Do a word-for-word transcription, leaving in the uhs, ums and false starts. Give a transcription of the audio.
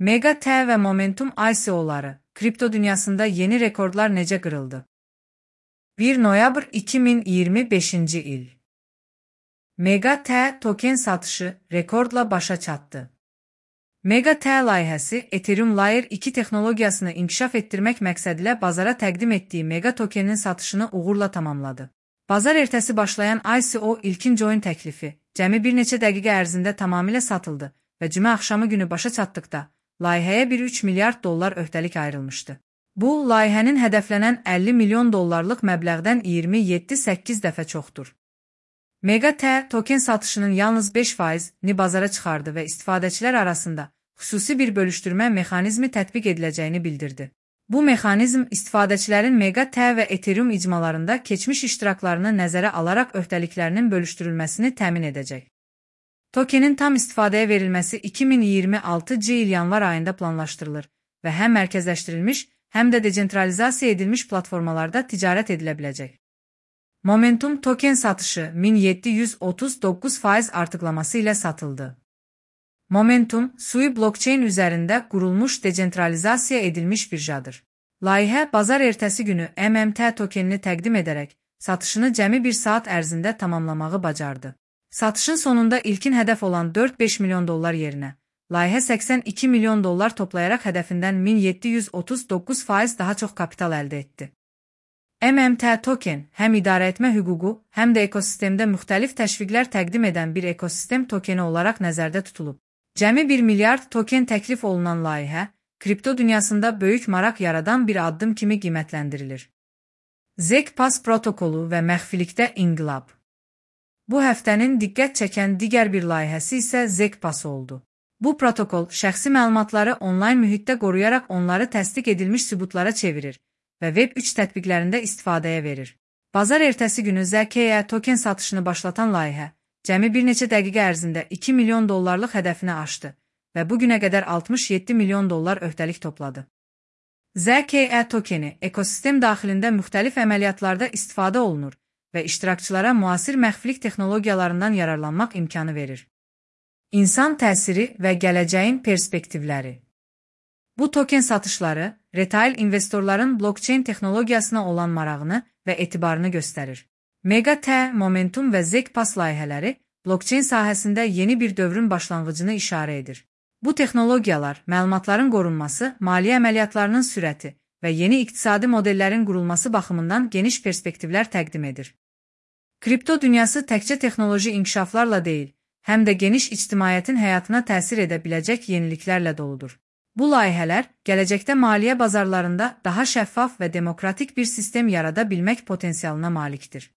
Mega T ve Momentum I C O'ları, kripto dünyasında yeni rekorlar necə qırıldı? bir noyabr iki min iyirmi beşinci il. Mega T token satışı rekordla başa çatdı. Mega T layihəsi Ethereum Layer iki texnologiyasını inkişaf etdirmək məqsədilə bazara təqdim etdiyi Mega tokeninin satışını uğurla tamamladı. Bazar ertəsi başlayan I C O ilkin join təklifi cəmi bir neçə dəqiqə ərzində tamamilə satıldı və cümə axşamı günü başa çatdıqda layihəyə bir üç milyard dollar öhdəlik ayrılmışdı. Bu, layihənin hədəflənən əlli milyon dollarlıq məbləğdən iyirmi yeddi səkkiz dəfə çoxdur. Mega T token satışının yalnız beş faizini bazara çıxardı və istifadəçilər arasında xüsusi bir bölüşdürmə mexanizmi tətbiq ediləcəyini bildirdi. Bu mexanizm istifadəçilərin Mega T və Ethereum icmalarında keçmiş iştiraklarını nəzərə alaraq öhdəliklərinin bölüşdürülməsini təmin edəcək. Tokenin tam istifadəyə verilməsi iki min iyirmi altıncı il yanvar ayında planlaşdırılır və həm mərkəzləşdirilmiş, həm də decentralizasiya edilmiş platformalarda ticarət edilə biləcək. Momentum token satışı min yeddi yüz otuz doqquz faiz artıqlaması ilə satıldı. Momentum, Sui blockchain üzərində qurulmuş decentralizasiya edilmiş birjadır. Layihə bazar ertəsi günü M M T tokenini təqdim edərək satışını cəmi bir saat ərzində tamamlamağı bacardı. Satışın sonunda ilkin hədəf olan dörd beş milyon dollar yerinə, layihə səksən iki milyon dollar toplayaraq hədəfindən min yeddi yüz otuz doqquz faiz daha çox kapital əldə etdi. M M T token həm idarəetmə hüququ, həm də ekosistemdə müxtəlif təşviqlər təqdim edən bir ekosistem tokeni olaraq nəzərdə tutulub. Cəmi bir milyard token təklif olunan layihə, kripto dünyasında böyük maraq yaradan bir addım kimi qiymətləndirilir. ZK-Pass protokolu və məxfilikdə inqilab. Bu həftənin diqqət çəkən digər bir layihəsi isə ZK-Pass oldu. Bu protokol şəxsi məlumatları onlayn mühitdə qoruyaraq onları təsdiq edilmiş sübutlara çevirir və Web üç tətbiqlərində istifadəyə verir. Bazar ertəsi günü Z K E token satışını başlatan layihə, cəmi bir neçə dəqiqə ərzində iki milyon dollarlıq hədəfini aşdı və bu günə qədər altmış yeddi milyon dollar öhdəlik topladı. Z K E tokeni ekosistem daxilində müxtəlif əməliyyatlarda istifadə olunur və iştirakçılara müasir məxfilik texnologiyalarından yararlanmaq imkanı verir. İnsan təsiri və gələcəyin perspektivləri. Bu token satışları, retail investorların blockchain texnologiyasına olan marağını və etibarını göstərir. Mega T, Momentum və ZK-Pass layihələri blockchain sahəsində yeni bir dövrün başlanğıcını işarə edir. Bu texnologiyalar, məlumatların qorunması, maliyyə əməliyyatlarının sürəti və yeni iqtisadi modellərin qurulması baxımından geniş perspektivlər təqdim edir. Kripto dünyası təkcə texnoloji inkişaflarla deyil, həm də geniş ictimaiyyətin həyatına təsir edə biləcək yeniliklərlə doludur. Bu layihələr, gələcəkdə maliyyə bazarlarında daha şəffaf və demokratik bir sistem yarada bilmək potensialına malikdir.